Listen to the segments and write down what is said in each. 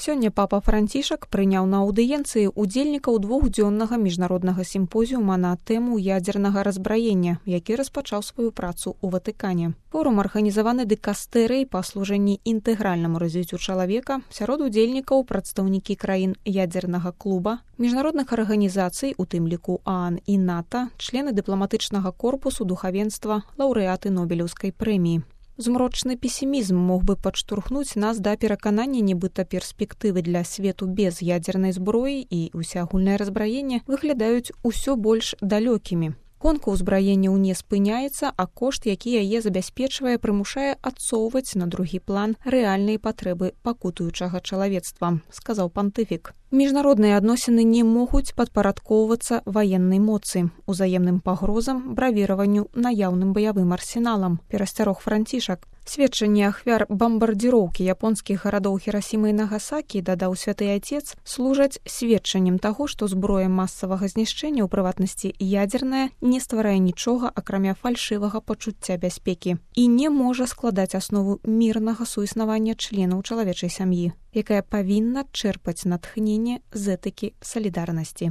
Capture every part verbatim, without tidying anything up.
Сёння папа Францішак прыняў на аўдыенцыі ўдзельнікаў двухдзённага міжнароднага сімпозіума на тэму ядзернага разбраення, які распачаў сваю працу ў Ватыкане. Форум арганізаваны дыкастэрыяй па служэнні інтэгральнаму развіццю чалавека, сярод удзельнікаў прадстаўнікі краін ядзернага клуба, міжнародных арганізацый, у тым ліку ААН і НАТО, члены дыпламатычнага корпусу, духавенства, лаўрэаты Нобелеўскай прэміі. Змрочны песімізм мог бы падштурхнуць нас да пераканання, нібыта перспектывы для свету без ядзернай зброі і ўсеагульнае разбраенне выглядаюць усё больш далёкімі. Гонка ўзбраенняў не спыняецца, а кошт, які яе забяспечвае, прымушае адсоўваць на другі план рэальныя патрэбы пакутуючага чалавецтва, сказаў пантыфік. Міжнародныя адносіны не могуць падпарадкоўвацца ваеннай моцы, узаемным пагрозам, бравіраванню наяўным баявым арсеналам, перасцярог Францішак. Сведчанні ахвяр бамбардзіроўкі японскіх гарадоў Хірасіма і Нагасакі, дадаў святы Ацец, служаць сведчаннем таго, што зброя масавага знішчэння, у прыватнасці ядзерная, не стварае нічога, акрамя фальшывага пачуцця бяспекі і не можа складаць аснову мірнага суіснавання членаў чалавечай сям'і, якая павінна чэрпаць натхненне з этыкі салідарнасці.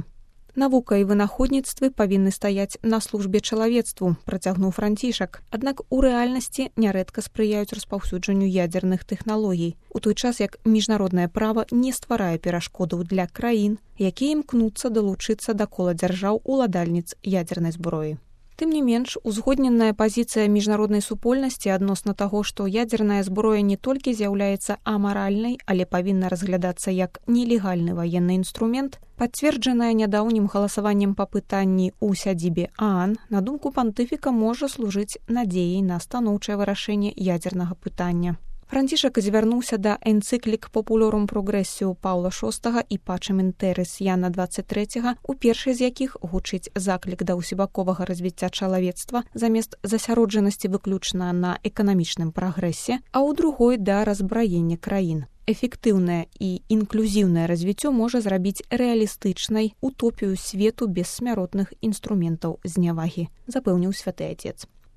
Навука і вынаходніцтвы павінны стаяць на службе чалавецтву, працягнуў Францішак. Аднак у рэальнасці нярэдка спрыяюць распаўсюджанню ядзерных тэхналогій, у той час як міжнароднае права не стварае перашкодаў для краін, якія імкнуцца далучыцца да кола дзяржаў уладальніц ядзернай зброі. Тым не менш, узгодненая пазіцыя міжнароднай супольнасці адносна таго, што ядзерная зброя не толькі з'яўляецца амаральнай, але павінна разглядацца як нелегальны ваенны інструмент, пацверджаная нядаўнім галасаваннем па пытанні ў сядзібе ААН, на думку пантыфіка, можа служыць надзеяй на станоўчае вырашэнне ядзернага пытання. Францішак звярнуўся да энцыклік «Популярум прогрэссіу» Паўла шостага і «Пачем інтэрес» Яна дваццаць трэцяга, у першай з якіх гучыць заклік да ўсебаковага развіцця чалавецтва замест засяроджанасці выключна на эканамічным прагрэсе, а ў другой да разбраення краін. Эфектыўнае і інклюзіўнае развіццё можа зрабіць рэалістычнай утопію свету без смяротных інструментаў знявагі, запэўніў святы Ацец.